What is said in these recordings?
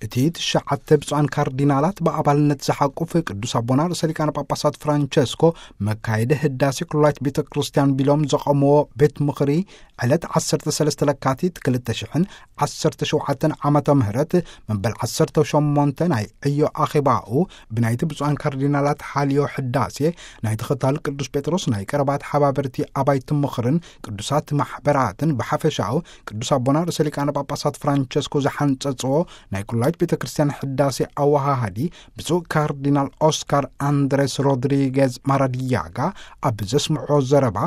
እቲ ትሽዓተ ብፁዓን ካርዲናላት ብኣባልነት ዝሓቁፍ ቅዱስ ኣቦና ርእሰ ሊቃነ ጳጳሳት ፍራንቸስኮ መካየዲ ህዳሴ ኩላይት ቤተ ክርስቲያን ቢሎም ዘቐምዎ ቤት ምኽሪ ዕለት ዓሰርተ ሰለስተ ለካቲት ክልተ ሽሕን ዓሰርተ ሸውዓተን ዓመተ ምህረት መበል ዓሰርተ ሸሞንተ ናይ ዕዮ ኣኼባኡ ብናይቲ ብፁዓን ካርዲናላት ሓልዮ ሕዳሴ ናይ ተኸታሊ ቅዱስ ጴጥሮስ ናይ ቀረባ ተሓባበርቲ ኣባይቲ ምኽርን ቅዱሳት ማሕበራትን ብሓፈሻኡ ቅዱስ ኣቦና ርእሰ ሊቃነ ጳጳሳት ፍራንቸስኮ ዝሓንጸጽዎ ናይ ኩላይት ቤተ ክርስቲያን ሕዳሴ ኣወሃሃዲ ብፁዕ ካርዲናል ኦስካር ኣንድሬስ ሮድሪጌዝ ማራዲያጋ ኣብ ዘስምዖ ዘረባ፣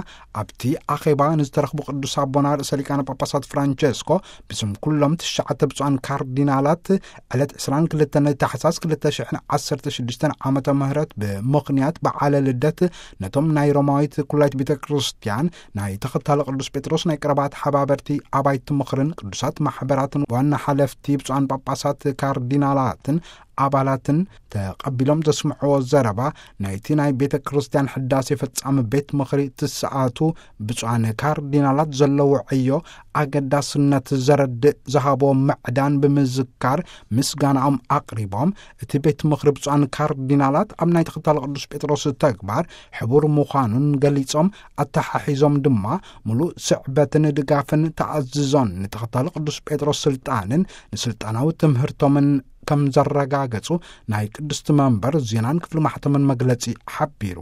ኣብቲ ኣኼባ ንዝተረኽቡ ቅዱስ ኣቦና ርእሰ ሊቃነ ጳጳሳት ፍራንቸስኮ ብስም ኩሎም ትሽዓተ ብፁዓን ካርዲናላት ዕለት ዕስራን ክልተን ታሕሳስ ክልተ ሽሕን ዓሰርተ ሽዱሽተን ዓመተ ምህረት ብምኽንያት በዓለ ልደት ነቶም ናይ ሮማዊት ኩላይት ቤተ ክርስቲያን ናይ ተኸታሊ ቅዱስ ጴጥሮስ ናይ ቀረባ ተሓባበርቲ ኣባይቲ ምኽርን ቅዱሳት ማሕበራትን ዋና ሓለፍቲ ብፁዓን ጳጳሳት ካርዲናላትን ኣባላትን ተቐቢሎም ዘስምዕዎ ዘረባ፣ ናይቲ ናይ ቤተ ክርስቲያን ሕዳሴ ፈጻሚ ቤት ምኽሪ ትስኣቱ ብፁዓን ካርዲናላት ዘለዎ ዕዮ ኣገዳስነት ዘረድእ ዝሃቦ ምዕዳን ብምዝካር ምስጋናኦም ኣቕሪቦም፣ እቲ ቤት ምኽሪ ብፁዓን ካርዲናላት ኣብ ናይ ተኸታሊ ቅዱስ ጴጥሮስ ተግባር ሕቡር ምዃኑን ገሊጾም፣ ኣተሓሒዞም ድማ ምሉእ ስዕበትን ድጋፍን ተኣዝዞን ንተኸታሊ ቅዱስ ጴጥሮስ ስልጣንን ንስልጣናዊ ትምህርቶምን ከም ዘረጋገጹ ናይ ቅድስቲ መንበር ዜናን ክፍሊ ማሕተምን መግለጺ ሓቢሩ።